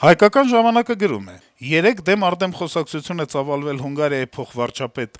Հայկական ժամանակը գրում է. - «Երեկ դեմ արդեմ խոսակցություն է ծավալվել Հունգարիայի փոխվարչապետ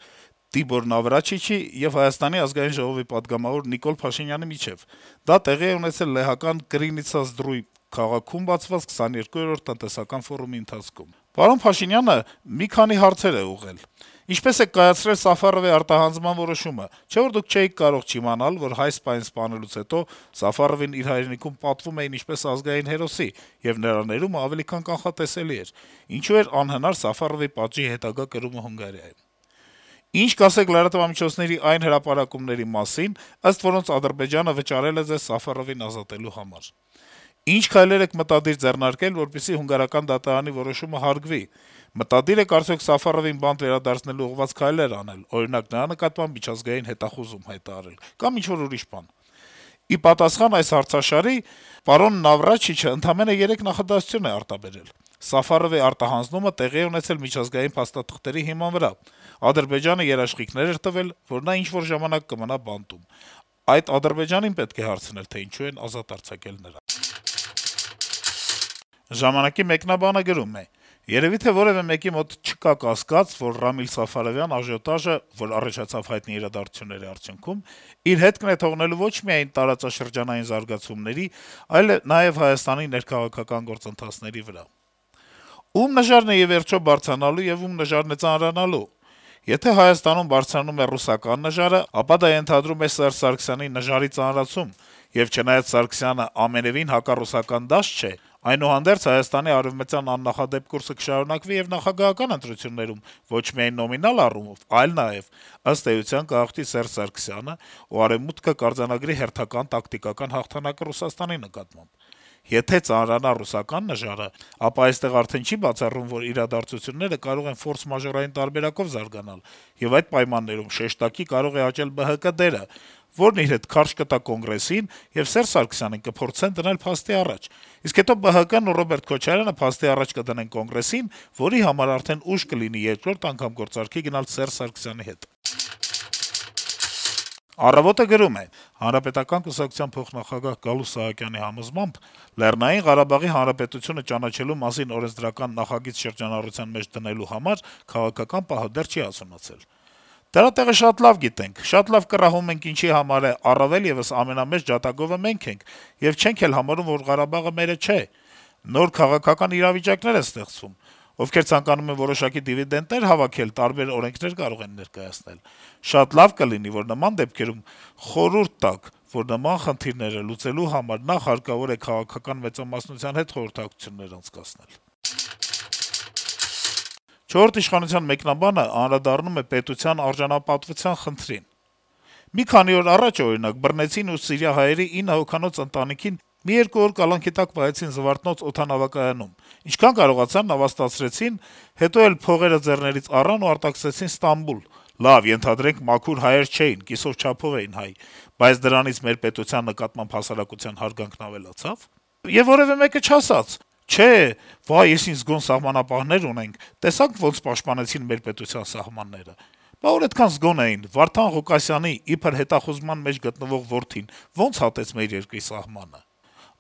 Տիբոր Նավրաչիչի եւ Հայաստանի ազգային ժողովի պատգամավոր Նիկոլ Փաշինյանի միջեւ: Դա տեղի է ունեցել լեհական Կրինիցա-Զդրույ քաղաքում բացված 22-րդ տնտեսական ֆորումի ընթացքում: Պարոն Փաշինյանը մի քանի հարցեր է ուղղել: Ինչպե՞ս եք կայացրել Սաֆարովի արտահանձնման որոշումը: Չէ՞ որ դուք չէիք կարող չիմանալ, որ հայ սպային սպանելուց հետո Սաֆարովին իր հայրենիքում պատվում էին ինչպես ազգային հերոսի, եւ նրա ներումը ավելի քան կանխատեսելի էր: Ինչու էր անհնար Սաֆարովի պատժի հետագա կրումը Հունգարիայում: Ինչ կասեք լրատվամիջոցների այն հրապարակումների մասին, ըստ որոնց Ադրբեջանը վճարել է ձեզ Սաֆարովին ազատելու համար: Ինչ քայլեր եք մտադիր ձեռնարկել, որպեսզի հունգարական դատարանի որոշումը հարգվի: Մտադիր եք արդյոք Սաֆարովին բանտ վերադարձնելու ուղղված քայլեր անել, օրինակ նրա նկատմամբ միջազգային հետախուզում հայտարարել կամ ինչ-որ ուրիշ բան»: Ի պատասխան այս հարցաշարի պարոն Նավրաչիչը ընդամենը 3 նախադասություն է արտաբերել. Սաֆարովի արտահանձնումը տեղի է ունեցել միջազգային փաստաթղթերի հիման վրա: Ադրբեջանը երաշխիքներ էր տվել, որ նա ինչ-որ ժամանակ կմնա բանտում: Այդ Ադրբեջանին պետք է հարցնել, թե ինչու են ազատ արձակել նրան»: «Ժամանակ»-ի մեկնաբանը գրում է. - «Երեւի թե որեւէ մեկի մոտ չկա կասկած, որ Ռամիլ Սաֆարովյան աժիոտաժը, որ առաջացավ հայտնի իրադարձությունների արդյունքում, իր հետքն է թողնելու ոչ միայն տարածաշրջանային զարգացումների, այլ նաեւ Հայաստանի ներքաղաքական գործընթացների վրա: Ում նժարն է ի վերջո բարձրանալու եւ ում նժարն է ծանրանալու: Եթե Հայաստանում բարձրանում է ռուսական նժարը, ապա դա ենթադրում է Սերժ Սարգսյանի նժարի ծանրացում, եւ չնայած Սարգսյանը ամենեւին հակառուսական դաշտ չէ, այնուհանդերձ Հայաստանի արեւմտյան աննախադեպ կուրսը կշարունակվի եւ նախագահական ընտրություններում ոչ միայն նոմինալ առումով, այլ նաեւ, ըստ էության, կհաղթի Սերժ Սարգսյանը, ու Արեւմուտքը կարձանագրի հերթական տակտիկական հաղթանակը Ռուսաստանի նկատմամբ: Եթե ծանրանա ռուսական նժարը, ապա այստեղ արդեն չի բացառվում, որ իրադարձությունները կարող են ֆորս-մաժորային տարբերակով զարգանալ, եւ այդ պայմաններում շեշտակի կարող է աճել ԲՀԿ դերը, որն իր հետ քարշ կտա Կոնգրեսին, եւ Սերժ Սարգսյանին կփորձեն դնել փաստի առաջ: Իսկ հետո ԲՀԿ-ն ու Ռոբերտ Քոչարյանը փաստի առաջ կդնեն Կոնգրեսին, որի համար արդեն ուշ կլինի երկրորդ անգամ գործարքի գնալ Սերժ Սարգսյանի հետ»: «Առավոտ»-ը գրում է. - «Հանրապետական կուսակցության փոխնախագահ Գալուստ Սահակյանի համոզմամբ Լեռնային Ղարաբաղի Հանրապետությունը ճանաչելու մասին օրենսդրական նախագիծ շրջանառության մեջ դնելու համար քաղաքական պահը դեռ չի հասունացել: Դրա տեղը շատ լավ գիտենք, շատ լավ կռահում ենք ինչի համար է, առավել եւս ամենամեծ ջատագովը մենք ենք, եւ չենք էլ համարում, որ Ղարաբաղը մերը չէ: Նոր քաղաքական իրավիճակներ են ստեղծվում: Ովքեր ցանկանում են որոշակի դիվիդենտներ հավաքել, տարբեր օրենքներ կարող են ներկայացնել: Շատ լավ կլինի, որ նման դեպքերում խորհուրդ տաք, որ նման խնդիրները լուծելու համար նախ հարկավոր է քաղաքական մեծամասնության հետ խորհրդակցություններ անցկացնել»: «Չորրորդ ինքնիշխանության» մեկնաբանը անդրադառնում է պետության արժանապատվության խնդրին. - «Մի քանի օր առաջ, օրինակ, բռնեցին ու սիրիահայերի 9 հոգանոց ընտանիքին մի երկու օր կալանքի տակ պահեցին Զվարթնոց օդանավակայանում: Ինչքան կարողացան նավաստացրեցին, հետո էլ փողերը ձեռներից առան ու արտաքսեցին Ստամբուլ: Լավ, ենթադրենք մաքուր հայեր չէին, կիսով չափով էին հայ, բայց դրանից մեր պետության նկատմամբ հասարակության հարգանքն ավելացա՞վ: Եվ որեւէ մեկը չասաց. «Չէ, վայ, էս ինչ զգոն սահմանապահներ ունենք, տեսա՞ք ոնց պաշտպանեցին մեր պետության սահմանները»: Բա ուր էդքան զգոն էին, Վարդան Ղուկասյանի` իբր հետախուզման մեջ գտնվող որդին, ոնց հատեց մեր երկրի սահմանը: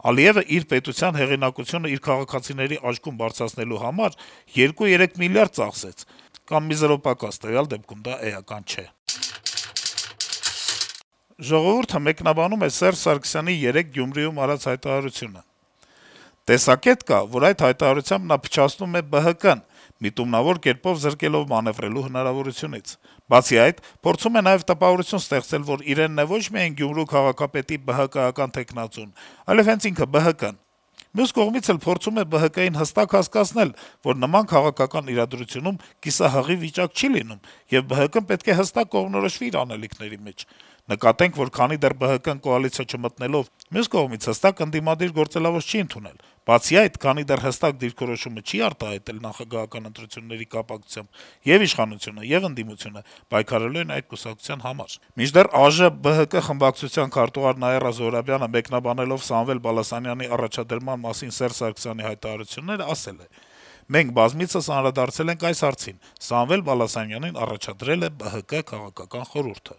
Ալիեւը իր պետության հեղինակությունը իր քաղաքացիների աչքում բարձրացնելու համար 2-3 միլիարդ ծախսեց: Կամ մի զրո պակաս, տվյալ դեպքում դա էական չէ»: «Ժողովուրդ»-ը մեկնաբանում է Սերժ Սարգսյանի երեկ Գյումրիում արած հայտարարությունը. - «Տեսակետ կա, որ այդ հայտարարությամբ նա փչացնում է ԲՀԿ-ն` միտումնավոր կերպով զրկելով մանեւրելու հնարավորությունից: Բացի այդ, փորձում է նաեւ տպավորություն ստեղծել, որ իրենն է ոչ միայն Գյումրու քաղաքապետի ԲՀԿ-ական թեկնածուն, այլեւ հենց ինքը ԲՀԿ-ն: Մյուս կողմից էլ փորձում է ԲՀԿ-ին հստակ հասկացնել, որ նման քաղաքական իրադրությունում կիսահղի վիճակ չի լինում, եւ ԲՀԿ-ն պետք է հստակ կողմնորոշվի իր անելիքների մեջ: Նկատենք, որ քանի դեռ ԲՀԿ-ն կոալիցիա չմտնելով, մյուս կողմից հստակ ընդդիմադիր գործելավոճ չի ընդունել: Բացի այդ, քանի դեռ հստակ դիրքորոշումը չի արտահայտել նախագահական ընտրությունների կապակցությամբ, ե'ւ իշխանությունը, ե'ւ ընդդիմությունը պայքարելու են այդ կուսակցության համար»: Մինչդեռ ԱԺ-ԲՀԿ խմբակցության քարտուղար Նաիրա Զոհրաբյանը, մեկնաբանելով Սամվել Բալասանյանի առաջադրման մասին Սերժ Սարգսյանի հայտարարությունները, ասել է. - «Մենք բազմիցս անդրադարձել ենք այս հարցին. Սամվել Բալասանյանին առաջադրել է ԲՀԿ քաղաքական խորհուրդը»: